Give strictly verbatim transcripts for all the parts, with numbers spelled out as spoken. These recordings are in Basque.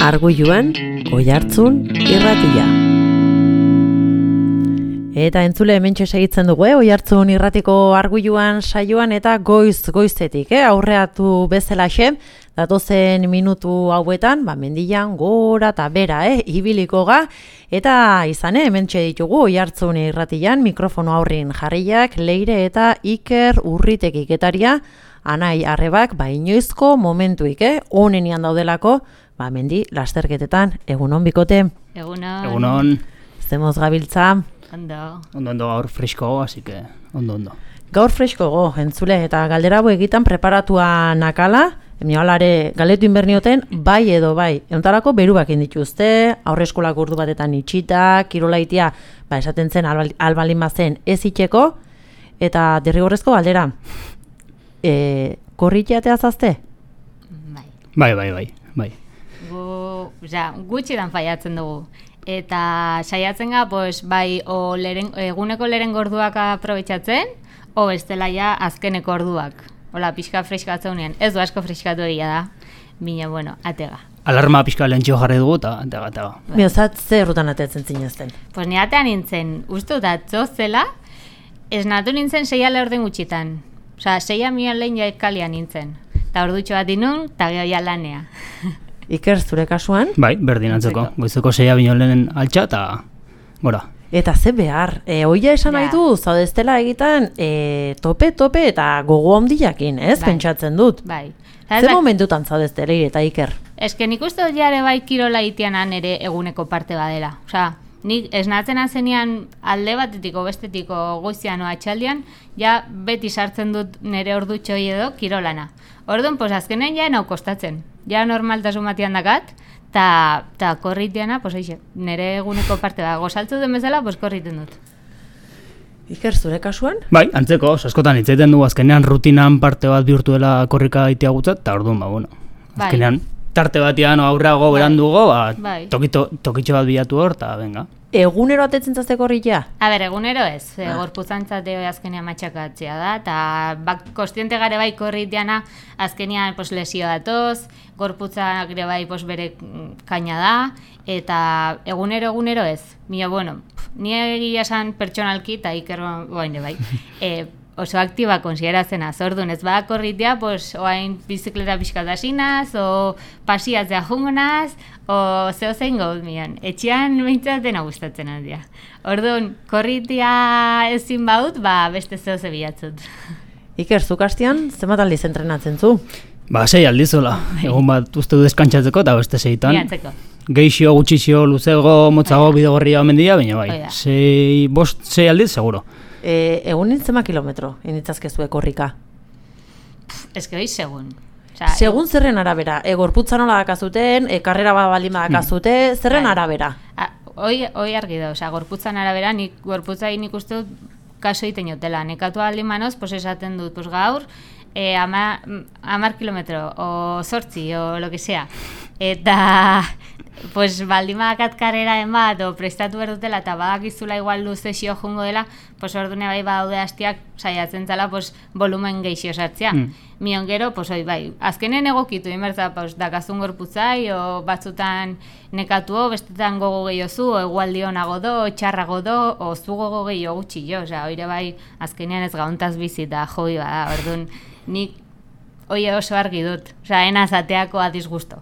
Arguiluan, Oihartzun irratia. Eta entzule hementxe segitzen dugu, eh? Oihartzun irratiko Arguiluan saioan eta goiz goizetik, eh? Aurreatu bezalaxe, datozen minutu hauetan, ba, mendian gora eta bera, eh? Ibiliko ga, eta izan, eh? Hementxe ditugu Oihartzun irratian, mikrofono aurrin jarriak, Leire eta Iker Urritek iketaria, Anai Arrebak, ba, inoizko momentuik, eh? Onenian daudelako, ba, mendi lasterketetan, egunon bikote. Egunon. Egunon. Zemoz gabiltza. Ondo. Ondo, ondo, gaur fresko, así que ondo, ondo. Gaur fresko go, entzule, eta galdera hau egitan preparatua nakala, emiolare galetu inbernioten, bai edo bai. Euntarako beruak indituzte, aurreskolak urdu batetan itxita, kirolaitia, ba, esaten zen albalin bazen ez itxeko, eta derrigorrezko galdera, e, korritiatea zazte? Bai. Bai, bai, bai, bai. Gu, ja, gutxidan faiatzen dugu. Eta saiatzen ga, pues, bai, o leren, eguneko leren gorduak aprobetxatzen, o bestela ja azkeneko orduak. Hola, pixka freskatzeunean. Ez du asko freskatu egia da. Bina, bueno, atega. Alarma pixka lehentxio jarri dugu, eta atega, atega. Miozat, ze errutan atetzen zinezten? Pues ni atean nintzen, uste dut atzo zela, esnatu nintzen seia lehorden gutxitan. Osa, seia mian lehen jaikalian nintzen. Ta ordutxo bat inun, eta geho ja lanea. Iker, zure kasuan? Bai, berdin antzeko. Goizeko seia bino lehen altxa, eta gora. Eta ze behar, e, oia esan nahi du, zaudeztela egiten e, tope, tope eta gogo handiakin, ez? Bai. Pentsatzen dut. Bai. Ze momentutan zaudeztela eta Iker? Eske nik uste dut jare bai kirola itianan ere eguneko parte badela. Osea, nik esnatzen azenean alde batetiko bestetiko goizian o atxaldian, ja beti sartzen dut nire ordutxoi edo kirolana. Orduan, pues azkenen ja nau kostatzen. Ja normaltasun batian dakat, ta, ta korritiana, pues eixe, nire eguneko parte da. Gozaltzu den bezala, pues korriten dut. Iker, zure kasuan? Bai, antzeko, askotan hitzaiten dugu azkenean rutinan parte bat bihurtu dela korrika itea gutzat, eta orduan, ba, bueno. Bai. Azkenean, tarte batian aurrago Bai. berandugo, ba, Bai. tokito, tokitxo bat bilatu hor, eta venga. Egunero atetzen zazte korritia? A ber, egunero ez, Ah. ah. gorputzantzate azkenean matxakatzea da, eta bak, kostiente gare bai korritiana azkenean pues, lesio datoz, gorputzak ere bai pues, bere kaina da, eta egunero egunero ez. Mila, bueno, ni egia esan pertsonalki, eta Iker baine bai, e, oso aktiba konsideratzen az, orduan ez bada korritea, pues, oain bizikleta pixkat asinaz, o pasiatzea jungonaz, o zeo zein gaud mian. Etxean behintzat dena gustatzen aldia. Orduan, korritea ezin baut, ba, beste zeo ze bilatzut. Iker, zuk hastian, zenbat aldiz entrenatzen zu? Ba, sei aldizola. Egun bat uste du deskantzatzeko, eta beste seitan. Bilatzeko. Geixio, gutxixio, luzego, motzago, bidegorria omendia, baina bai. Oida. Sei, bost, sei aldiz, seguro. E, egun nintzema kilometro, initzazkezue korrika. Ez que hoi segun. Osa, Segun zerren arabera, e, gorputza nola dakazuten, e, karrera bat baldin badakazute, zerren Bai. arabera? A, hoi, hoi argi da, osea, gorputzan arabera, nik gorputzai nik uste dut kaso iten jotela. Nekatu aldin manoz, pues esaten dut, pues gaur, e, ama, amar kilometro, o sortzi, o lo que sea. Eta, pues baldin badakat karreraen bat, o prestatu behar dutela, eta badakizula igual luzexio jungo dela, pues ordune bai badaude hastiak saiatzen zela, pues volumen geixio sartzea. Mm. Mion gero, pues hoi bai, azkenen egokitu, inbertza, pues, dakazun gorputzai, o batzutan nekatuo, bestetan gogo gehiozu, o egualdionago do, o txarrago do, o zu gogo gehio gutxi jo, osea, oire bai, azkenean ez gauntaz bizita joi bada, orduan, nik hoi oso argi dut, osea, enazateako adizgusto.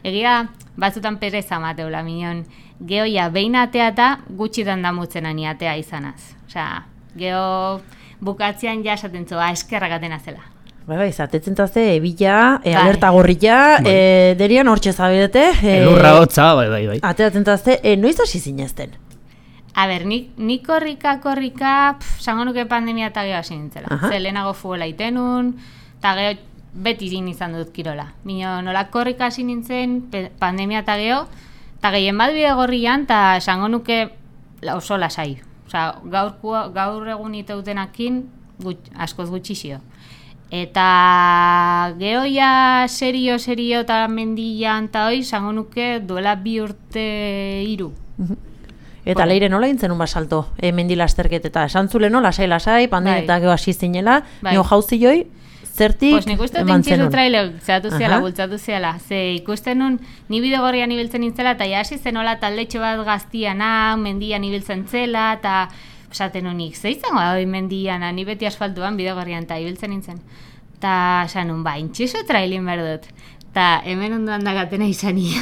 Egia, batzutan pereza mateula, minon, gehoia behin atea eta gutxitan damutzen ani atea izanaz. Osea, geho bukatzean ja esaten zoa, eskerragaten azela. Bai, bai, zatetzen tazte, ebila, e, Bai. alerta gorrilla, Bai. e, derian hortxe zabirete. E, Elurra hotza, bai, bai, bai. Ateratzen tazte, e, noiz hasi zinezten? A ber, nik, nik korrika, korrika, pff, sango nuke pandemia eta geho hasi nintzela. Aha. Ze lehenago futbola itenun, eta geho beti zin izan dut kirola. Mino, nola korrika hasi nintzen, pe- pandemia eta geho, eta gehien bat bide gorrian, eta esango nuke la- oso lasai. Osea, gaur, gaur egun iteutenakin gut, askoz gutxixio. Eta gehoia serio, serio eta mendian eta hoi, esango nuke duela bi urte hiru. Eta Bueno. Leire nola intzen un basalto, e, mendi lasterketeta, esan zule no, lasai, lasai, pandemia Bai. eta geho hasi zinela, Bai. nio jauzi joi, zertik Pues nik uste eman tintxizu zenun? trailek zehatu ziala, Aha. bultzatu ziala. Ze ikusten nun, ni bidegorrian ibiltzen nintzela, eta ja hasi zenola taldetxo bat gaztiana, mendian ibiltzen zela, eta esaten nunik, ze izango da hori mendiana, ni beti asfaltuan bidegorrian, eta ibiltzen nintzen. Ta esan nun, ba, intxizu trailin behar dut. Ta hemen ondoan dagatena izania.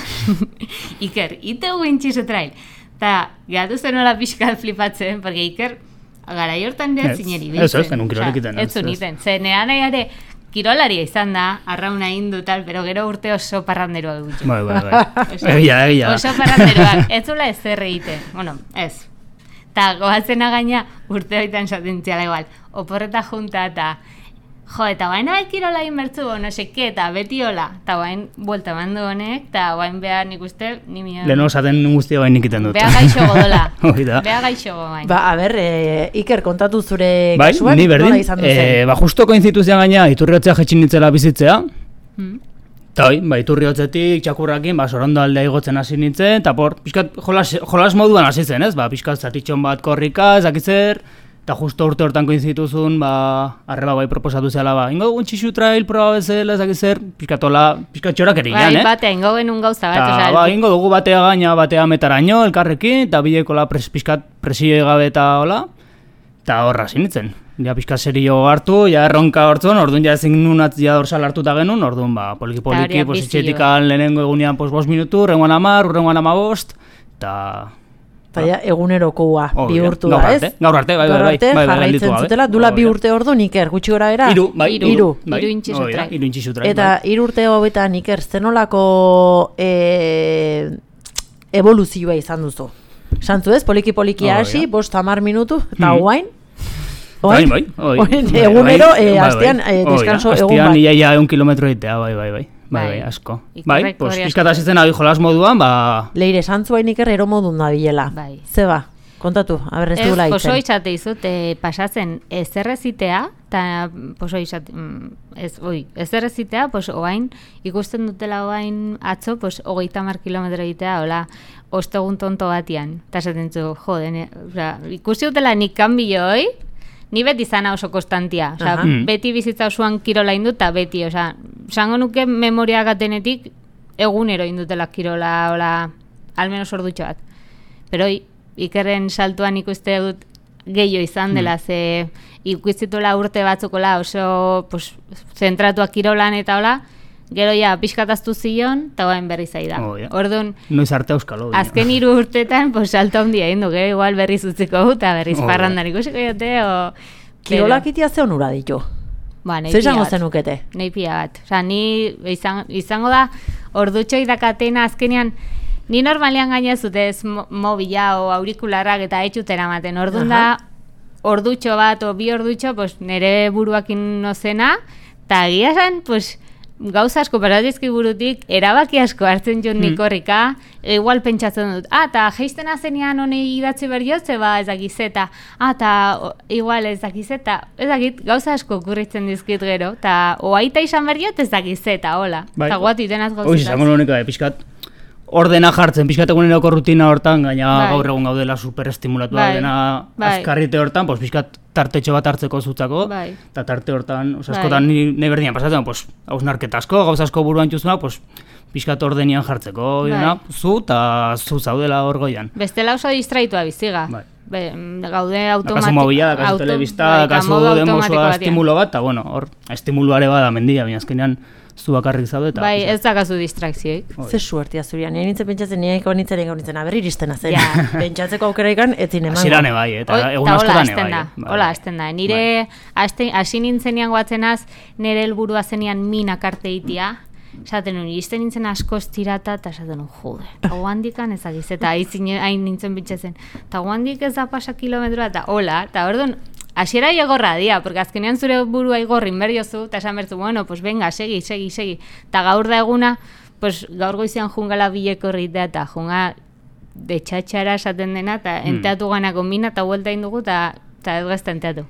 Iker, ite gu intxizu trail. Ta gatu zenola pixkat flipatzen, porque Iker, garai hortan dira Ez, zineri ez, ez, genuen kirolik iten, Ez ez, zuen ez. iten. Ze nera nahiare, kirolaria izan da, arrauna indu tal, pero gero urte oso parranderoa dut. Bai, bai, bai. Oso- Egia, egia. Oso parranderoak, ez zula ez zer egiten. Bueno, ez. Ta goatzena gaina urte hoitan satentziala igual. Oporreta junta eta jo, eta baina bai kirola inbertzu, no seke, eta beti hola. Eta bain, buelta mandu honek, eta bain behar nik uste, ni mio. Leheno esaten guztia bain ikiten dut. Beha gaixo godola. Hoi da. Beha gaixo godola. Ba, a ber, e, Iker, kontatu zure Bai, kasuan, ni berdin, nola izan du zen? eh, ba, justo koinzituzian gaina iturriotzea jetxin nintzela bizitzea, Hmm. eta hoi, ba, iturriotzetik txakurrakin, ba, sorondo aldea igotzen hasi nintzen, eta por, pixkat jolas, jolas moduan hasi zen, ez? Ba, pixkat zatitxon bat korrika, ezakitzer, eta justo urte hortan koinzituzun, ba, arreba bai proposatu zela, ba, ingo dugun txixu trail proba bezala, ezakitzer, pixkatola, pixkat txorak Bai, erinan, eh? batea, ingo genuen gauza bat, Ta, osea, ba, ingo dugu batea gaina, batea metaraino, elkarrekin, eta bilekola pres, pixkat presio gabe eta hola, eta horra zinitzen. Ja pixkat serio hartu, ja erronka hortzun, orduan ja ezin nun ja dorsal hartuta genuen, orduan ba, poliki-poliki, hori pues, bizio. etxetikan lehenengo egunean pues, bost minutu, rengoan amar, urrengoan amabost, eta... Eta ja, egunerokoa Oh, bihurtu gaur da, arte, ez? gaur arte, bai, Gaur bai, bai, arte bai, bai, gelditu jarraitzen gabe. zutela, dula Hori bi da. urte ordu Iker, gutxi gora era? Hiru, bai, Hiru. Hiru. bai, Hiru intxizu hori da, trail. hiru intxizu trail, Eta bai. hiru urte hauetan Iker, zenolako e, evoluzioa izan duzu? Santzu ez, poliki-poliki Oh, hasi, ja. bost hamar minutu, eta Hmm. guain? Bai, bai, bai. Orain Bai, egunero, bai, eh, bai, astean, bai. eh, Hoi da, descanso egun astean bat. iaia egun kilometro egitea, bai, bai, bai. Bai, Bai. bai, asko. Ikerrek Bai, pues, hori pixkat hasi zen abi jolas moduan, ba... Leire, santzuain Iker eromodun da bilela. Bai. Zeba, kontatu, aber ez Ez, dugula poso itzen. izate izut, e, pasatzen ezerrezitea, eta poso izate, mm, ez, oi, ezerrezitea, pues oain, ikusten dutela oain atzo, pues hogeita mar kilometro egitea, hola, ostegun tonto batian, eta esaten zu, jode, ne, osea, ikusi dutela nik kanbio hoi, ni beti zana oso konstantia, osea, Aha. Mm. beti bizitza osoan kirola induta, beti, osea, esango nuke memoria gatenetik, egunero indutela kirola, hola, almenos ordutxo bat. Pero hoi, Ikerren saltuan ikuste dut gehiago izan dela, ze ikustitula urte batzukola oso pues, zentratuak kirolan eta hola, gero ja pixkataztu zion, eta bain berri zaida. Oh, ja. Orduan, Noiz arte euskalo. baina. azken hiru urtetan, pues, salto handia egin du, gero igual berriz utziko dut, eta berriz Oh, ja. parrandan ikusiko jote, o... Kirolak itia ze onura ditu? Ba, nahi Zer pila izango bat. zenukete? Nahi pila bat. Osa, ni izan, izango da, ordutxo idakatena azkenean, ni normalean gaina zute ez mo- mobila o aurikularrak eta etxutera maten. Orduan da, ordutxo bat o bi ordutxo, pues, nire buruakin nozena, eta egia esan, pues, gauza asko paratizki burutik, erabaki asko hartzen jut nik horrika, igual pentsatzen dut, ah, eta geisten azenian honi idatzi berriotze, ba, ez dakizeta, ah, eta o, igual ez dakizeta, ez dakit, gauza asko okurritzen dizkit gero, eta oaita izan berriot ez dakizeta, hola, Bai. eta guatu itenaz Hoiz, gauzitaz. izango nunik, bai, pixkat ordena jartzen, pixkat eguneroko rutina hortan, gaina Bai. gaur egun gaudela superestimulatu Bai. dena Bai. azkarrite hortan, pues, pixkat tartetxo bat hartzeko zutzako, Bai. eta tarte hortan, os, Bai. askotan ni, ni berdinan pasatzen, pues, hausnarketa asko, gauza asko buruan txuzuna, pues, pixkat ordenian jartzeko, Bai. dena, zu, eta zu zaudela hor goian. Bestela oso distraitua biziga. Bai. Be, mm, gaude Dakazu automatiko. mobila, dakazu telebista, dakazu demosua estimulo bat, eta bueno, hor, estimuluare bada mendia, baina azkenean zu bakarrik zaude, eta... Bai, pixkat. ez dakazu distrakzioik. Ze suertia zurian, nire nintzen pentsatzen, nire iko nintzen egin nintzen, aber iristen zen. Ja. Pentsatzeko aukera ikan, etzin emango. Hasieran bai, eta Oi, egun ta hola askotan hasten bai. da, bai, hola bai. hasten da. Nire haste- hasi nintzenean guatzenaz, nire helburua zenean minak arte itia, esaten nuen, iristen nintzen asko estirata, eta esaten nuen, jode, hau handikan ezagiz, eta hain nintzen bitxezen, eta hau handik ez da pasa kilometroa, eta hola, eta orduan, hasiera igorra dia, porque azkenean zure burua igorrin berriozu, eta esan bertu, bueno, pues venga, segi, segi, segi, eta gaur da eguna, pues gaur goizean jungala bileko horritea, eta junga de txatxara esaten dena, eta Hmm. enteatu gana kombina, eta huelta indugu, eta eta ez gazta enteatu.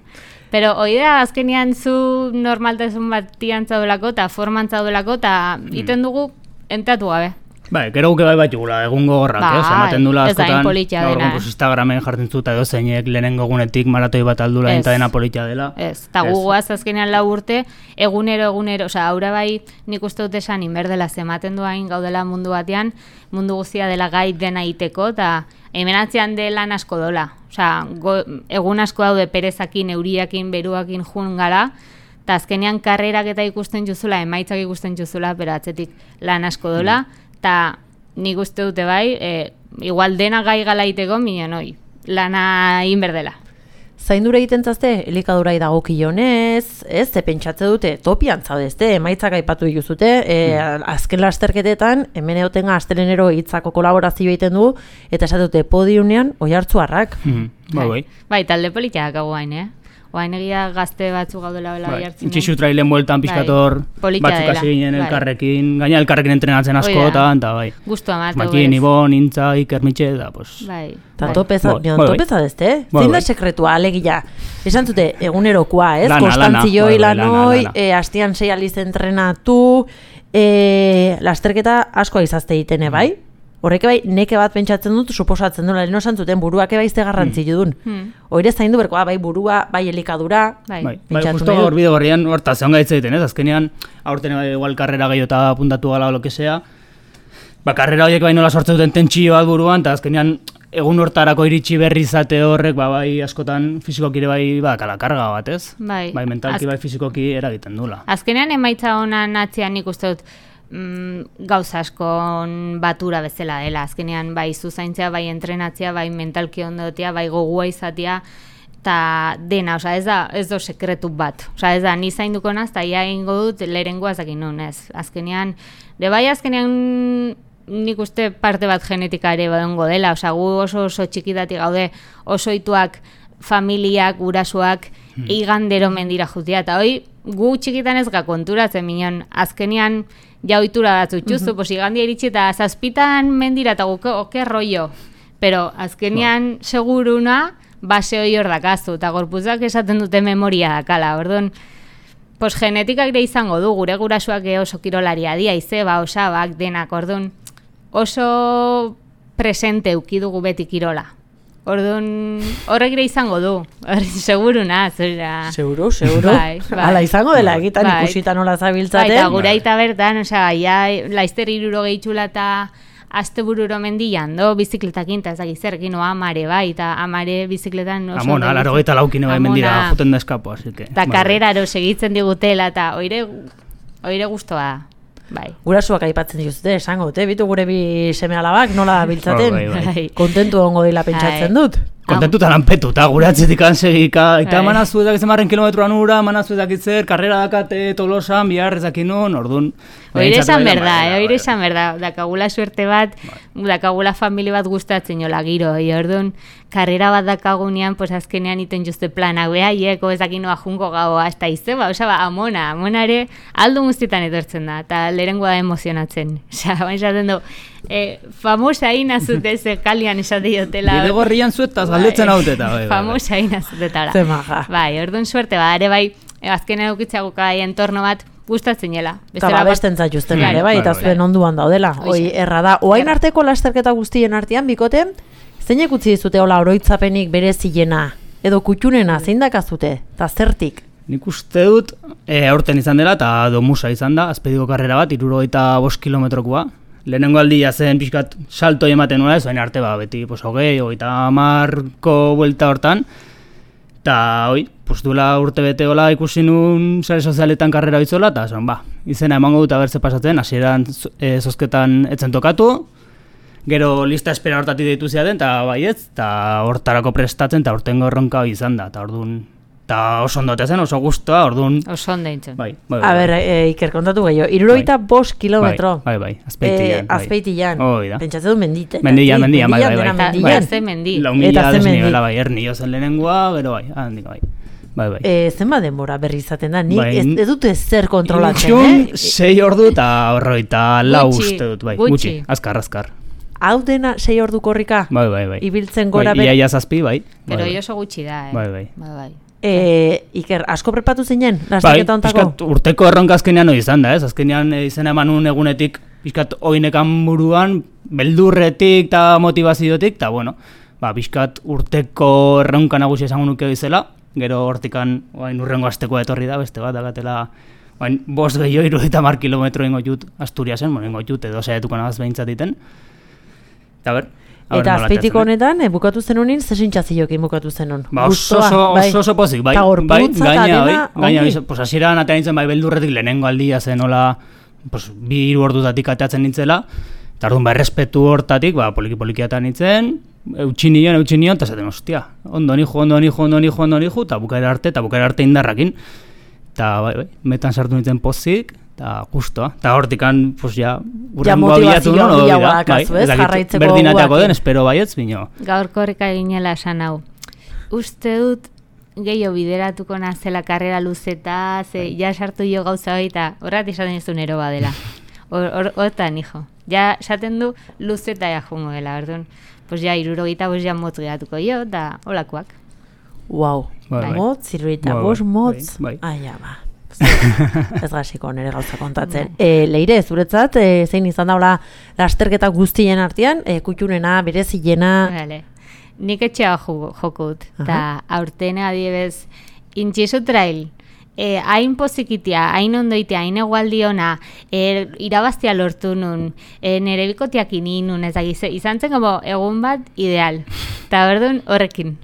Pero hoi da, azkenean zu normaltasun batian zaudolako, eta forman zaudolako, eta iten dugu enteatu gabe. Bai, gero guke bai bat jugula, egun gogorrak, Bai, eh? Ematen dula ez da askotan, inpolitia gaur dena. egun, pues, Instagramen jartzen zuta edo zeinek lehenengo egunetik maratoi bat aldula Ez. eta dena politia dela. Ez, eta guguaz azkenean lau urte, egunero, egunero, osea, aurra bai nik uste dut esan inberdela zematen duain gaudela mundu batean, mundu guztia dela gai dena iteko, eta hemen atzean de lan asko dola. Osea, go, egun asko daude perezakin, euriakin, beruakin jun gara, eta azkenean karrerak eta ikusten juzula, emaitzak ikusten juzula, pero atzetik lan asko dola, eta nik uste dute bai, e, igual dena gai gala iteko, minon hoi, lana inberdela. Zaindura egiten zazte, elikadurai dagokionez, ez, ze pentsatze dute, topian zaudezte, emaitzak aipatu dituzute, e, azken lasterketetan, hemen egotenga astelenero hitzako kolaborazio egiten du, eta esate dute podiunean oihartzuarrak. Mm, bai, bai. Bai, talde politia dakago gain, eh? Oain egia gazte batzu gaudela bela Bai, jartzen. Itxixu trailen bueltan pizkator politia batzuk dela, hasi ginen bai. elkarrekin, gaina elkarrekin entrenatzen Hoi da. askotan, eta bai. Gustua mateu Makin, Ibon, Intza, Iker Mitxe, da, pues... Bai. Eta bai. topeza, Bai, bion, bai, bai. topeza dezte, eh? Bai, Zein da bai. sekretua, alegia. Esan zute, egunerokoa, ez? Lana, Konstantzioi lana, bai, bai, lanoi, lana, lana. e, astian sei aliz entrenatu, e, lasterketa asko izazte egitene, bai? Horrek bai, neke bat pentsatzen dut, suposatzen dut, leheno zuten burua eba izte garrantzi dudun. Hmm. Oire zaindu berkoa, bai burua, bai elikadura, Bai. Bai, bai, Pentsatu justo nahi dut. hor bide gorrian, horta, zeon gaitza egiten, ez? Azkenean, aurten bai, igual karrera gehiago eta apuntatu gala o lo que sea, ba, karrera horiek bai nola sortzen duten tentsio bat buruan, eta azkenean, egun hortarako iritsi berri izate horrek, ba, bai, askotan fizikoki ere bai, ba, kala karga bat, ez? Bai. Bai, mentalki Az- bai fizikoki eragiten dula. Azkenean emaitza honan atzean nik uste dut mm, gauza askon batura bezala dela. Azkenean bai zuzaintzea, bai entrenatzea, bai mentalki ondotea, bai gogua izatea, eta dena, osea, ez da, ez do sekretu bat. Osea, ez da, ni zainduko naz, eta ia egingo dut lehenengoa zakin nun, ez. Azkenean, de bai azkenean nik uste parte bat genetika ere badongo dela, osea, gu oso oso txikidatik gaude, oso ituak, familiak, gurasoak, hmm. igandero mendira jutia, eta hoi, gu txikitan ez ga konturatzen minon, azkenean ja ohitura batzu txuzu, mm-hmm. pues igandia iritsi eta zazpitan mendira eta guke oke rollo, pero azkenean seguruna base hori hor dakazu, eta gorputzak esaten dute memoria dakala, orduan, pues genetikak ere izango du, gure gurasoak oso kirolaria dia, izeba, osabak, denak, orduan, oso presente eukidugu beti kirola. Orduan, horrek ere izango du, seguruna, zera. Seguro, seguro. Bai, bai. Hala izango dela, egitan Bai. ikusita nola Bai, zabiltzaten. eta gure aita bertan, osea, ja, laizter iruro gehitxula eta aste bururo mendian, do, bizikletakin, eta ez dakit zerkin, o amare, bai, eta amare bizikletan oso... Amona, ondo laro gaita laukine bai Amona. mendira juten da eskapo, así que... Eta bai, karreraro segitzen digutela, eta oire, oire guztua da. Bai. Gurasuak aipatzen dituzte, esango, te, bitu gure bi seme alabak nola biltzaten. Bai, bai, bai. Kontentu ongo dila pentsatzen Bai. dut. Kontentuta lanpetuta, gure atzetik ansegika, eta Bai. manazu edakitzen marren kilometroan ura, manazu edakitzer, karrera dakate tolosan, bihar ezakin nun, orduan... Oire esan bai, berda, bai, eh, bai, oire bai. esan berda, dakagula suerte bat, dakagula familia bat gustatzen jola giro, e, orduan, karrera bat dakagunean, pues azkenean iten juzte planak, behaieko ezakinoa junko gaua, hasta izeba, osa, ba, amona, amona ere, aldo guztietan etortzen da, eta lehengoa da emozionatzen, osa, baina esaten du, e, famosa ina zute ze kalian esate jotela. Bide gorrian zuetaz galdetzen haute eta, bai, bai, bai. Famosa ina zutetara. Ze maja. Bai, orduan suerte ba, ere bai, e, azkenean eukitzago kai entorno bat, gustatzen jela. Eta babesten zaituzten Bai, ere, bai, bai, eta bai. zuen onduan daudela. Hoxe. Hoi, erra da. Oain Erra. arteko lasterketa guztien artean, bikote, zeinek utzi dizute hola oroitzapenik berezilena, edo kutxunena, zein dakazute, eta zertik? Nik uste dut, e, aurten izan dela, eta domusa izan da, azpediko karrera bat, irurogeita bost kilometrokoa. Lehenengo aldia zen pixkat salto ematen nuen, ez, oain arte ba, beti, pues, hogei, hogeita hamarko buelta hortan, eta, hoi, pues, duela urte bete hola ikusi nun sare sozialetan karrera bitzola, eta, zon, ba, izena emango dut abertze pasatzen, hasieran e, zozketan etzen tokatu, gero lista espera hortatik deitu ziaten, eta bai ez, eta hortarako prestatzen, eta hortengo erronka hoi izan da, eta orduan, eta oso ondote zen, oso guztua, orduan, Oso ondo intzen. bai, bai, A bai. ber, e, Iker, kontatu gehiago, irurogeita bost kilometro. Bai, bai, bai, azpeitian. Eh, azpeitian. Hoi da. Pentsatzen du menditen. Mendian, mendian, bai, bai, dena bai. Eta mendian. ze mendi. Lau Eta mila ze mendi. desnibela, bai, ernio zen lehenengoa, gero bai, handik, bai. Bai, bai. E, zenba denbora berri izaten da, nik Bai, ez, ez dute zer kontrolatzen, Ilutxun, eh? sei ordu eta horroita lau Gutxi, uste dut, bai, gutxi. gutxi, azkar, azkar. Hau dena sei ordu korrika? Bai, bai, bai. Ibiltzen gora bai, ber- iaia zazpi, bai. Pero bai, bai. oso gutxi da, eh? Bai, bai. Bai, bai. E, Iker, asko prepatu zinen, Bai, lasterketa ontako? pixkat urteko erronka azkenean hori izan da, ez? Azkenean eh, izena eman un egunetik pixkat oinekan buruan, beldurretik eta motivaziotik, eta bueno, ba, pixkat urteko erronka nagusia esango nuke bizela, gero hortikan oain urrengo astekoa etorri da, beste bat, dagatela, oain bost gehiago irurogeita hamar kilometro ingo jut Asturiasen, bueno, ingo jut edo saiatuko nagaz behintzat iten. Eta ber, eta azpeitiko honetan, e, bukatu zen honin, zesintzaziokin bukatu zen hon. Ba, oso, oso, oso, oso pozik, bai, bai, gaina, bai, gaina, pues hasieran atea nintzen, bai, beldurretik lehenengo aldia zen, hola, pues, bi hiru ordutatik ateatzen nintzela, eta orduan, ba, errespetu hortatik, ba, poliki-poliki atean nintzen, eutxin nion, eutxin nion, eta zaten, ostia, ondo nijo, ondo nijo, ondo nijo, ondo nijo, eta bukaera arte, eta bukaera arte indarrakin, eta, bai, bai, metan sartu nintzen pozik, eta justoa, eta hortikan, pues, ja, urrengo abilatu non, odo dira, bai, ezakit berdinateako den, espero baietz, bino. Gaurko horreka eginela esan hau. Uste dut, gehiago bideratuko nazela karrera luzeta, ze, ja sartu jo gauza hori, eta horrat esaten ez du nero badela. Hortan, hijo. Ja, esaten du luzeta ja jungo dela, orduan. Pues ja, irurogeita bos ja motz geratuko jo, eta holakoak. Uau, bai, motz, irurogeita bos motz. Bai, bai. Aia, ba. Ez gasiko nire gauza kontatzen. E, Leire, zuretzat, e, zein izan daula lasterketa guztien artean, e, kutxunena, berezilena... Vale. Nik etxea jokut, eta aurten adibez, intxizu trail, E, hain pozikitia, hain ondoitea, hain egualdi ona, e, irabaztia lortu nun, e, nire bikotiak ininun, ez da, izan zen como egun bat ideal. Eta berdun horrekin.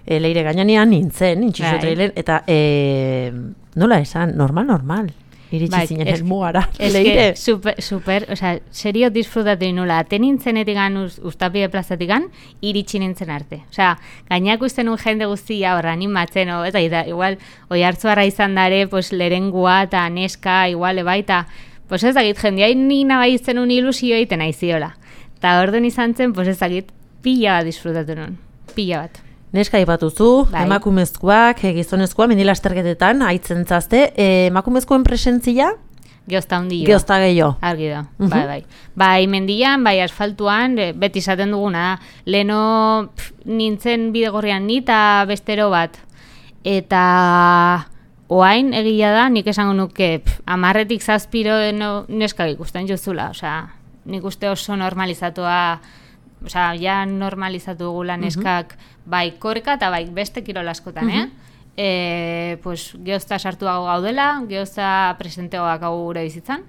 E, Leire, gainanean nintzen, intxizu trailen, eta e, nola esan, normal, normal. Iritsi bai, zinen es, elmugara. Es que super, super, o sea, serio disfrutatu inula. Aten nintzenetik gan, Uztapide plazatik gan, iritsi nintzen arte. O sea, gainak usten un jende guztia horra animatzen, o, eta, eta igual, oi hartzuarra izan dare, pues, lerengua eta neska, igual, eba, eta, pues ez dakit, jendeai ni nabaitzen un ilusio egiten aiziola. Eta orduan izan zen, pues ez dakit, pila bat disfrutatu nun, pila bat. Neska ipatuzu, bai. Emakumezkoak, gizonezkoa, mendilasterketetan, haitzen zazte, e, emakumezkoen presentzia? Geozta hundio. Geozta gehiago. Argi da, uh -huh. bai, bai. Bai, mendian, bai, asfaltuan, beti izaten duguna, leno pff, nintzen bidegorrian ni eta bestero bat. Eta oain egia da, nik esango nuke, pff, amarretik zazpiro no, neska ikusten jozula, osea, nik uste oso normalizatua, osea, ja normalizatu dugula neskak, uh -huh. bai korrika eta bai beste kirol askotan, uh -huh. eh? E, pues, geozta sartuago gaudela, geozta presenteoak hau gure bizitzan,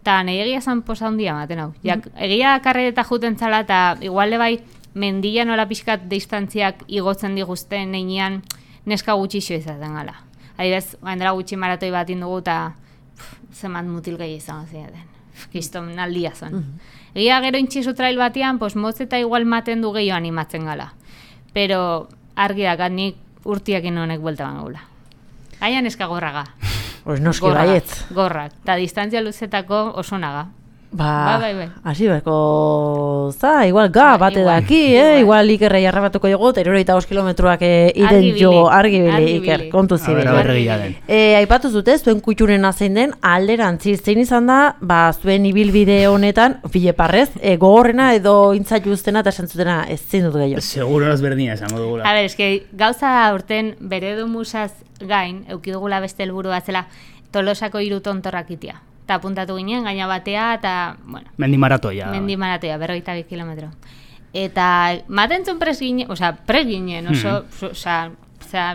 eta nahi egia zan posa handia maten hau. Jak, egia karrereta juten zala, eta igual bai mendia nola pixkat distantziak igotzen diguzten neinean neska gutxixo izaten gala. Adibidez, gaindela gutxi maratoi bat indugu, eta zemat mutil gehi izan ziaten. Kiston aldia zen. Uh -huh. Egia gero intxizu trail batean, pues, motz eta igual maten du gehiago animatzen gala. Pero argi da, nik urtiakin honek buelta bangula. Gaian eska gorraga. Pues noski baietz. Gorrak. Ta distantzia luzetako oso naga. Ba, bai, bai. Hasi beko, za, igual ga, ba, bate daki, eh? Igual ikerrei arrabatuko jogo, eta irurogeita bost kilometroak eh, iden jo, argibili, Iker, kontu zibili. E, aipatu zute, zuen kutxunena zein den, alderantzi, zein izan da, ba, zuen ibilbide honetan, fileparrez, e, gogorrena edo intzaitu uztena eta esantzutena ez zein dut gehiago. Seguro ez berdina esango dugula. A ber, eski, gauza urten bere du musaz gain, eukidugula beste helburu batzela, Tolosako hiru tontorrak itia. Eta apuntatu ginen, gaina batea, eta, bueno... Mendi maratoia. Mendi maratoia, berrogeita bi kilometro. Eta, maten zuen pres ginen, oza, pres ginen, oso, mm-hmm. oza, oza,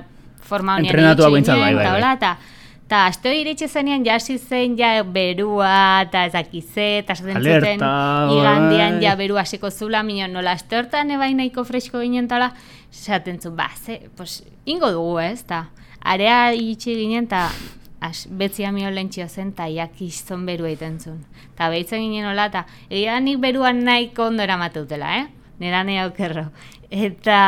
forma honian entrenatu ginen, bai, bai, bai. Eta, eta, aste hori iritsi zenean, jasi zen, ja, berua, eta ezakize, eta esaten zuten, igandian, ja, berua hasiko zula, minon, nola, aste hortan ebain nahiko fresko ginen, eta, esaten zuen, ba, ze, pues, ingo dugu, ez, eta, area iritsi ginen, eta, betzia mio lentxio zen, eta jakizton beru egiten zuen. Eta behitzen ginen hola, eta egia nik beruan nahiko ondo eramatutela, eh? Nera nahi aukerro. Eta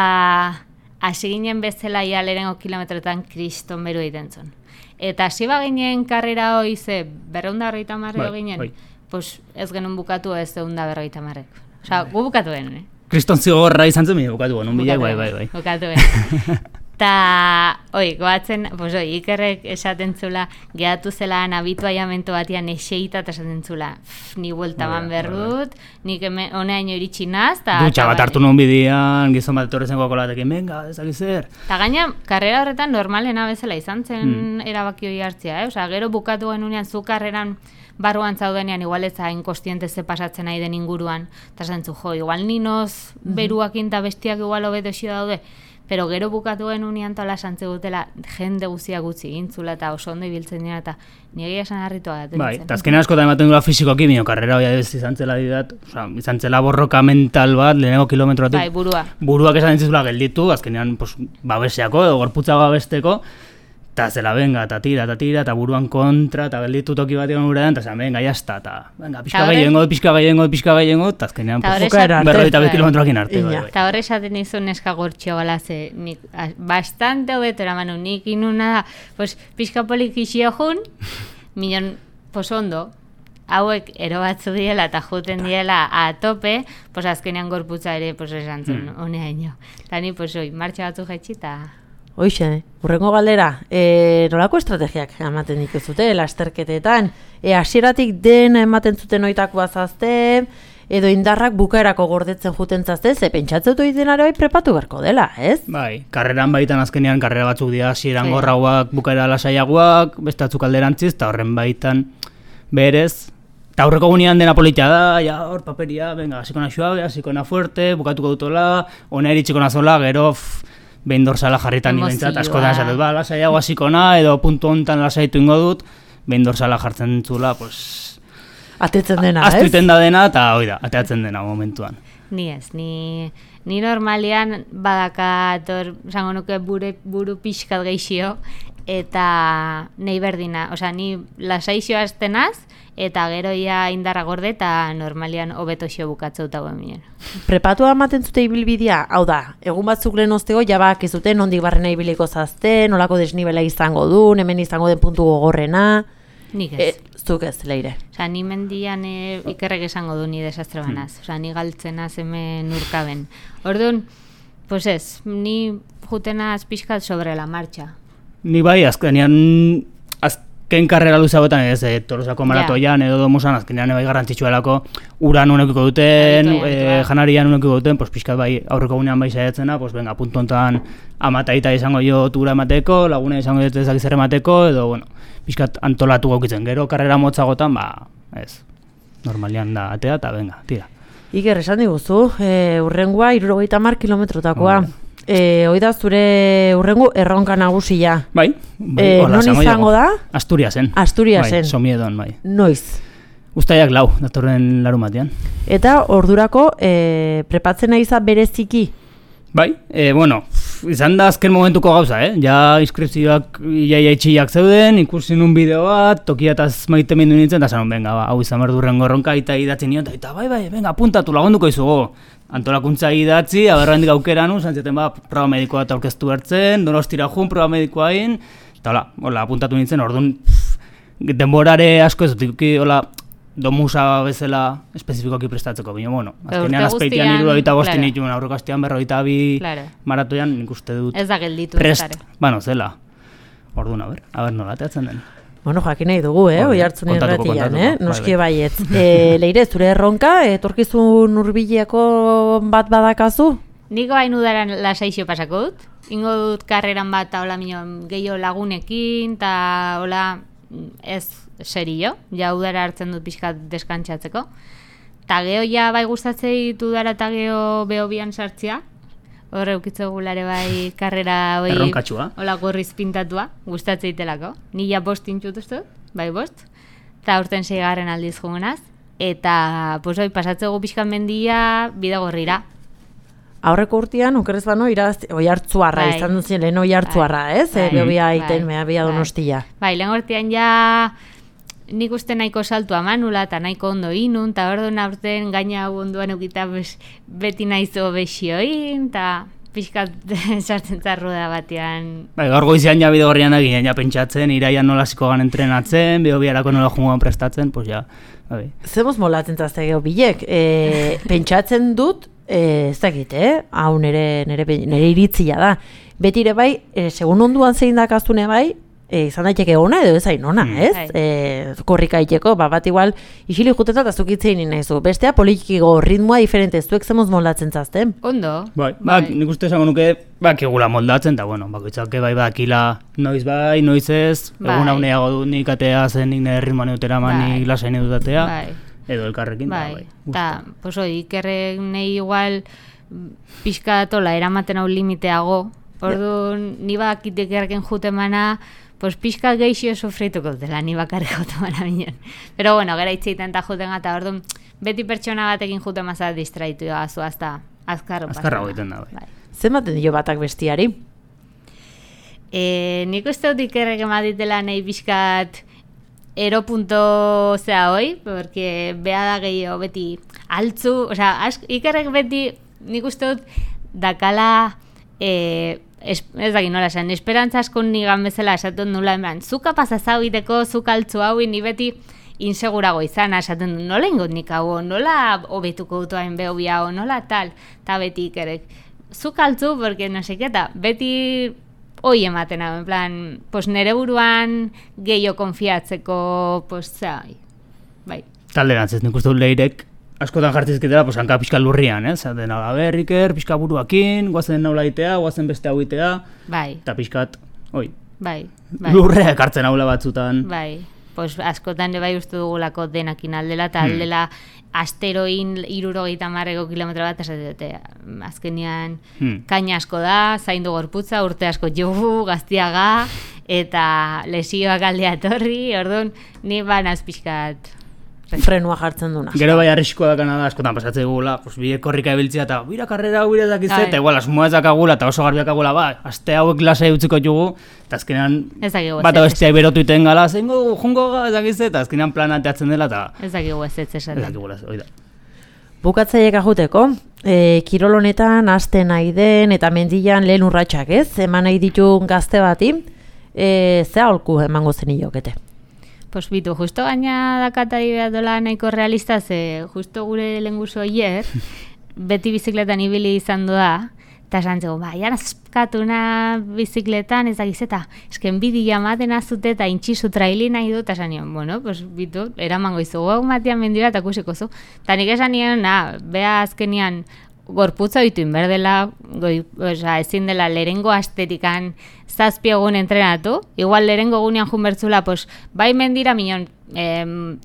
hasi ginen bezala ia lehenengo kilometroetan kriston beru egiten zuen. Eta hasi ba ginen karrera hoi ze berreunda berrogeita marreko ginen, bai. Pues ez genuen bukatu ez deunda berrogeita marreko. Osa, gu bukatu genuen, eh? Kriston zigorra izan zen, bukatu genuen, bilak, bai, bai, bai. Bukatu genuen. Ta, oi, goatzen, pues oi, Ikerrek esaten zula, gehatu zela nabitu aiamento batian eseita eta esaten zula, ni buelta ban berrut, nik honeaino iritsi naz, ta... Dutxa bat hartu nuen bidean, gizon bat etorrezen gokolatekin, venga, ezakizer. Ta gaina, karrera horretan normalena bezala izan zen hmm. erabaki hori hartzea, eh? Osa, gero bukatu genunean zu karreran, barruan zaudenean igual ez hain kostiente ze pasatzen nahi den inguruan, eta zantzu, jo, igual ninoz beruakin eta bestiak igual hobeto xio daude, pero gero bukatu genunean tola santze gutela jende guzia gutxi gintzula eta oso ondo ibiltzen dira eta nire esan harritua da. Bai, eta azkenean askotan ematen dula fizikoki, bino, karrera hori adibidez izan zela didat, oza, izan zela borroka mental bat, lehenengo kilometroatik. Bai, burua. Buruak esan dintzizula gelditu, azkenean pues, babeseako edo gorputza babesteko, eta zela, venga, eta tira, eta tira, eta buruan kontra, eta gelditu toki bat egon gure da, eta zela, venga, jazta, eta venga, pixka gehiengo, pixka gehiengo, pixka gehiengo, eta azkenean berroita bet kilometroakin arte. Eta horre esaten izun neska gortxo bala, ze, nik, bastante hobetora manu, nik inuna da, pues, pixka polikixio jun, minon, pues ondo, hauek ero batzu diela eta juten diela a tope, pues azkenean gorputza ere, pues esan zuen, mm. honea ino. Eta ni, pues, oi, martxa batzu jaitsi, eta... Hoixe, urrengo galdera, e, nolako estrategiak ematen dituzute lasterketetan? E, hasieratik den ematen zuten oitakoa zazte, edo indarrak bukaerako gordetzen juten zazte, ze pentsatzen dut denare bai prepatu beharko dela, ez? Bai, karreran baitan azkenean karrera batzuk dira hasieran gorrauak, bukaera lasaiagoak, beste batzuk alderantziz, eta horren baitan berez, eta aurreko gunean dena politia da, ja, hor paperia, venga, hasikona suave, hasikona fuerte, bukatuko dutola, ona iritsiko nazola, gero, pff, behin dorsala jarritan nibentzat, askotan esatut, ba, lasaiago hasikona, edo puntu hontan lasaitu ingo dut, behin dorsala jartzen zula, pues... Atetzen dena, ez? Aztuiten da dena, eta hoi da, ateatzen dena momentuan. Ni ez, ni, ni normalian badakat, zango nuke bure, buru pixkat geixio, eta nahi berdina, osea, ni lasaixo aztenaz, eta gero ia indarra gorde eta normalian hobeto xo bukatzeu dago emien. Prepatua ematen zute ibilbidea, hau da, egun batzuk lehen ostego jabak ez dute nondik barrena ibiliko zazte, nolako desnibela izango du, hemen izango den puntu gogorrena. Nik ez. E, zuk ez, Leire. Osa, ni mendian e, ikerrek esango du ni desastre banaz. Osa, ni galtzenaz hemen urkaben. Orduan, pues ez, ni jutenaz pixkat sobre la marcha. Ni bai, azkenean, azken karrera luzagoetan ez, e, Tolosako maratoian edo domusan, azkenean bai garrantzitsuelako uran unekiko duten, e, janarian unekiko duten, pues pixkat bai aurreko gunean bai saiatzena, pues venga, puntu hontan amataita izango jo tura emateko, laguna izango dut ezak zer emateko, edo, bueno, pixkat antolatu gaukitzen, gero karrera motzagotan, ba, ez, normalian da atea, eta venga, tira. Iker, esan diguzu, e, urrengoa hirurogeita hamar kilometrotakoa. Oh. E, hoi da zure urrengo erronka nagusia. Bai, bai e, non izango da? Asturiasen. Asturiasen. Bai, Somiedon, bai. Noiz? Uztaiak lau, datorren larumatean. Eta ordurako e, prepatzen nahi za bereziki? Bai, e, bueno, izan da azken momentuko gauza, eh? Ja inskripzioak iaia itxiak zeuden, ikusi nun bideo bat, tokiataz maite mindu nintzen, eta zanon, venga, ba, hau izan behar durrengo erronka, eta idatzi nion, eta bai, bai, venga, apuntatu, lagunduko izugo. Antolakuntza idatzi, aberrandik aukeran, zantzeten ba, proba medikoa eta aurkeztu bertzen, Donostira jun, proba medikoa egin, eta hola, hola, apuntatu nintzen, orduan, denborare asko ez dut, hola, domusa bezala espezifikoki prestatzeko, baina, bueno, azkenean azpeitian hiru eta bosti nituen, aurreko astean berrogeita bi maratoian, nik uste dut, ez da gelditu, prest, bano, zela, orduan, aber, aber nola, teatzen den. Bueno, jakin nahi dugu, eh, oi hartzun irratian, eh, noski baiet. E, Leire, zure erronka, etorkizun hurbileko bat badakazu? Niko hain udaran lasaixo pasako dut, ingo dut karreran bat, eta hola minon, gehiago lagunekin, eta hola, ez serio, ja udara hartzen dut pixkat deskantzatzeko. Ta geho ja bai gustatzei ditu udara eta geho behobian sartzea, horre ukitzo gulare bai karrera hoi erronkatsua. Hola gorriz pintatua, gustatzei telako. Ni ja bost intxutuztu, bai bost, eta urten seigarren aldiz jugunaz, eta pues hoi pasatzegu pixkan mendia bide gorrira. Aurreko urtean, okerrez bano, iraz, oi hartzuarra, bai. Izan duzien lehen oi hartzuarra, ez? Bai. E, behobia aiten, bai. Behobia Donostia. Bai, lehen urtean ja nik uste nahiko saltua manula eta nahiko ondo inun, eta ordu aurten gaina hau onduan eukita beti nahizo besioin, eta pixkat sartzen zarru da batean. Bai, gaur goizean ja bide gorrian egin, ja pentsatzen, iraian nola ziko gan entrenatzen, behobiarako nola jungoan prestatzen, pues ja, bai. Zemoz molatzen zazte geho bilek, e, pentsatzen dut, e, ez dakit, eh? Hau nere, nere, nere iritzia da. Betire bai, e, segun onduan zein dakaztune bai, e, izan daiteke ona edo ez hain ona, Mm. ez? Bai. E, korrika iteko, ba, bat igual isili juteta eta zukitzein nahizu. Bestea politikiko ritmoa diferente, zuek zemoz moldatzen zazten. Ondo. Bai, ba, nik uste esango nuke, bakigula moldatzen, eta bueno, bakoitzak bai bakila noiz bai, noiz ez, Bai. egun hauneago du nik atea zen, nik nire ritmoa neutera Bai. nik lasain dut atea, Bai. edo elkarrekin, Bai, bai. eta, pues hoi, ikerrek nahi igual pixka datola eramaten hau limiteago, orduan ni bakit ikerreken jutemana, pues pixka geixio sofrituko dela, ni bakarrik jutemana binen. Pero bueno, gara itxeiten eta juten gata, orduan beti pertsona batekin jutemazat distraitu gazu, hasta azkarro pasana. Azkarrago egiten da, bai. Zenbaten dio batak bestiari? E, nik uste dut ikerrek emaditela nahi pixkat eropunto zea hoi, porque beha da gehiago beti altzu, osea, ask, ikerrek beti nik uste dut dakala e, es, ez dakit nola esan, esperantza asko nigan bezala esaten nula, enbran, zuka pasazau iteko, zuka altzu hau, ni beti insegurago izan, esaten du, nola ingot nik hau, nola hobetuko dut hain behobi hau, nola tal, eta beti ikerrek, zuka altzu, porque no sé, eta beti hoi ematen hau, en plan, pues nere buruan gehiago konfiatzeko, pues, zai, bai. Talderantz ez, nik uste dut leirek, askotan jartzizketela, pues, hanka pixka lurrian, ez? Zaten, a ber, Iker, pixka buruakin, guazen naula itea, guazen beste hau itea, Bai, eta pixkat, oi, bai, bai. lurrea ekartzen haula batzutan. Bai, pues askotan ere bai uste dugulako denakin aldela, eta Hmm. aldela asteroin irurogeita marreko kilometro bat esate dute. Azkenean Hmm. kaina asko da, zaindu gorputza, urte asko jugu, gaztiaga, eta lesioak aldea etorri, orduan, ni banaz pixkat. Frenua jartzen duna. Gero bai arriskoa dakana da, askotan pasatzea gula, pues, bide korrika ebiltzea, eta bira karrera hau bire dakizte, Bai. eta igual, asmoa ez dakagula, eta oso garbiak agula, ba, aste hauek lasai utziko jugu, eta azkenean, Ez dakigu bat ezetz bestea berotu iten gala, zein gogu, jungo ga, ez dakizte, eta azkenean plana teatzen dela, eta Ez dakigu ez ez ez esaten. dakigula, hori da. Bukatzaiek ajuteko, e, kirol honetan aste nahi den eta mendian lehen urratsak, ez? Eman nahi ditu gazte bati, e, ze aholku emango zeniokete. Pues bitu, justo gaina dakatari behar dola nahiko realista, ze justo gure lenguzo hier, beti bizikletan ibili izan da, eta esan zego, ba, jara zeskatuna bizikletan, ez dakiz, eta esken bidi jamaten azute eta intxizu traili nahi du, eta esan nion, bueno, pues bitu, eramango izugu, hau matian mendira eta kusiko zu. Eta nik esan nion, na, beha azkenian, gorputza ditu inberdela, goi, oza, ezin dela lehengo astetikan zazpi egun entrenatu, igual lehengo egunean junbertzula, pues, bai mendira minon, em,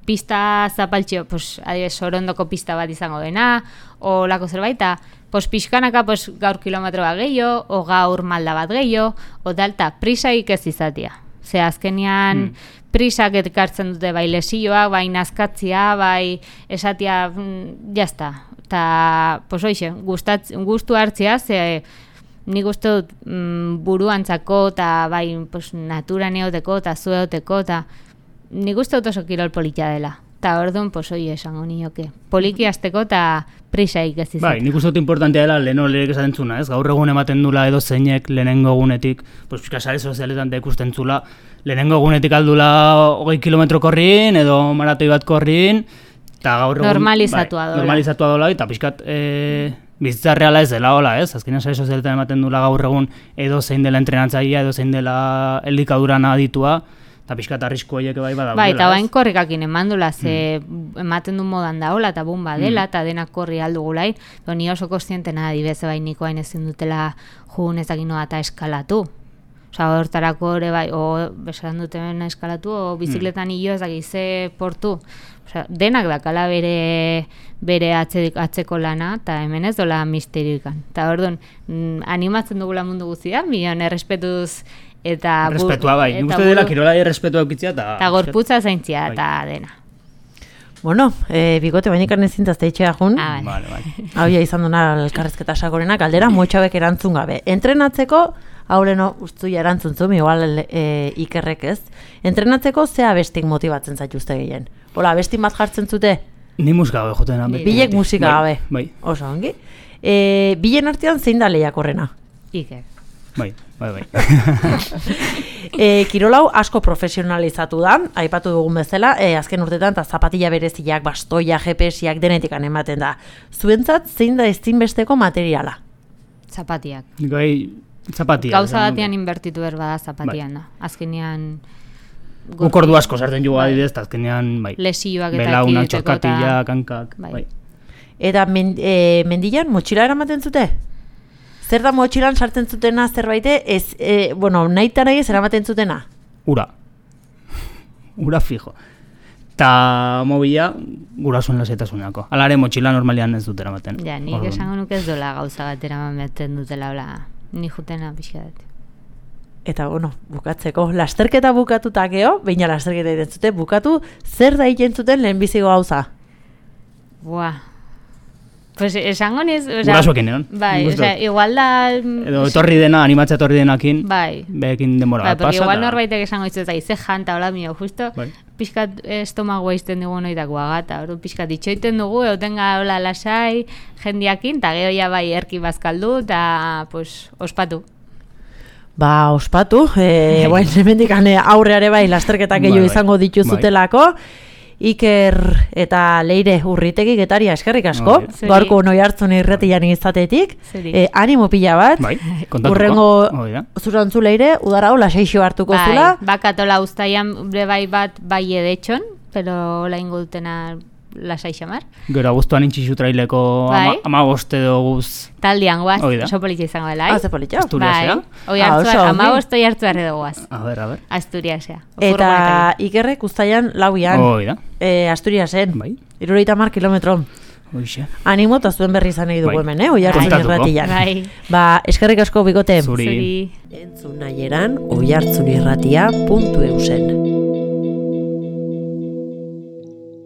pista zapaltxio, pues, adibes, sorondoko pista bat izango dena, o lako zerbait, eta, pues, pixkanaka, pues, gaur kilometro bat gehiago, o gaur malda bat gehiago, o dalta, prisaik ez izatia. Ze azkenean, Hmm. prisak ekartzen dute bai lesioak, bai nazkatzia, bai esatia, mm, jazta. Eta, pues hoxe, gustatz, gustu hartzia, ze nik uste dut mm, buruantzako, eta bai pues, naturan eoteko, eta zueoteko, eta nik uste dut oso kirol politia dela. Eta orduan, pues hoi esango nioke. Poliki hasteko eta prisaik ez izan. Bai, nik uste dut importantea dela leheno leherek esaten zuna, ez? Gaur egun ematen dula edo zeinek lehenengo egunetik, pues pixka sare sozialetan da ikusten zula, lehenengo egunetik aldula hogei kilometro korrin, edo maratoi bat korrin, eta gaur egun... Normalizatua dola. Normalizatua dola, eta pixkat e, bizitza reala ez dela, hola, ez? Azkenean sare sozialetan ematen dula gaur egun edo zein dela entrenatzailea, edo zein dela eldikaduran aditua, eta pixkat arrisku horiek bai badaudela, Bai, eta bain ez? korrikakin emandula, ze ematen du modan daola, eta bumba dela, eta denak korri aldugulain, pero ni oso kostientena adibeze bai niko hain ezin dutela jun ezakin noa eta eskalatu. Osa, hortarako ere bai, o besan duten eskalatu, o bizikletan hilo ez dakize portu. Osa, denak dakala bere, bere atze, atzeko lana, eta hemen ez dola misterioikan. Eta orduan, mm, animatzen dugula mundu guztia, milion errespetuz eta... bu- Respetua bai, nik eta uste dela buru- kirolari errespetua eukitzea, eta... Eta gorputza zaintzia, Bai. eta dena. Bueno, e, bigote bainik arnezintazte itxea jun. Ah, Vale, vale. Hau ja izan duna elkarrezketa sakorena, galdera motxabek erantzun gabe. Entrenatzeko, hau leno ustuia erantzun zuen, igual e, ikerrek ez. Entrenatzeko ze abestik motibatzen zaituzte gehien? Hola, abestik bat jartzen zute? Ni musika gabe joten da. Bilek musika gabe. Bai, Oso ongi. E, bilen artean zein da lehiakorrena? Iker. bai, bai, bai. E, kirolau asko profesionalizatu da, aipatu dugun bezala, e, azken urtetan eta zapatilla bereziak, bastoia, G P S-iak denetikan ematen da. Zuentzat zein da ezinbesteko materiala? Zapatiak. Nik bai, Zapatia. Gauza batean inbertitu behar bada zapatian da. Azkenean... Guk ordu asko sartzen jugu adidez, eta azkenean, bai. Lesioak eta Belauna, ekiditeko txorkatila, kankak, Bai. bai. Eta men, e, mendilan motxila eramaten zute? Zer da motxilan sartzen zutena zerbaite, ez, e, bueno, nahi eta nahi ez eramaten zutena? Ura. Ura fijo. Ta mobila, gurasoen lasaitasunako. Alare motxila normalian ez dut eramaten. Ja, nik esango nuke ez dola gauza bat eramaten dutela, hola, ni jutena pixka dut. Eta, bueno, bukatzeko, lasterketa bukatuta geho, baina lasterketa egiten zute, bukatu, zer da egiten zuten lehenbiziko gauza? Buah. Pues esango niz... Gurasoekin egon. Bai, osea, igual da... Edo etorri dena, animatzea etorri denakin, bai. behekin denbora Bai, bat porque pasa. igual ta- norbaitek esango ditzu eta ize janta, hola mio, justo, Bai. pixkat estomagoa izten dugu noitakoa gata, hori pixkat itxoiten dugu, eutenga hola lasai, jendiakin, eta gero ja bai erki bazkaldu, eta, pues, ospatu. Ba, ospatu, e, bueno, hemendik aurreare bai lasterketak Bai, gehiago bai. izango dituzutelako, Iker eta Leire Urritegi Getaria eskerrik asko, Bai. Zuri. gaurko noi hartzun irretian izatetik, Zuri. e, animo pila bat, Bai, kontatuko. urrengo Hori da. zurantzu Leire, udara hola seixo hartuko Bai, zula, bakatola uztaian bre bai bat bai edetxon, pero hola ingo dutena lasai xamar. Gero abuztuan intxixu traileko Bai. ama, ama boste doguz. Taldean guaz, Hoi da. oso politxa izango dela, ah, ze politxo. Asturiasera? Bai, oi Ah, hartzuar, oso ongi. ama bostoi hartzuar edo guaz. A ber, a ber. Asturiasea. Eta Ikerrek uztaian lauian, Hoi da. e, Asturiasen, Bai. irurogeita hamar kilometro. Hoixe. Animo eta zuen berri izan nahi dugu Bai. hemen, eh? Oi hartzun Kontatuko. irratian. Bai. Ba, eskerrik asko bikote. Zuri. Zuri. Entzun nahieran, oihartzun irratia puntu eusen.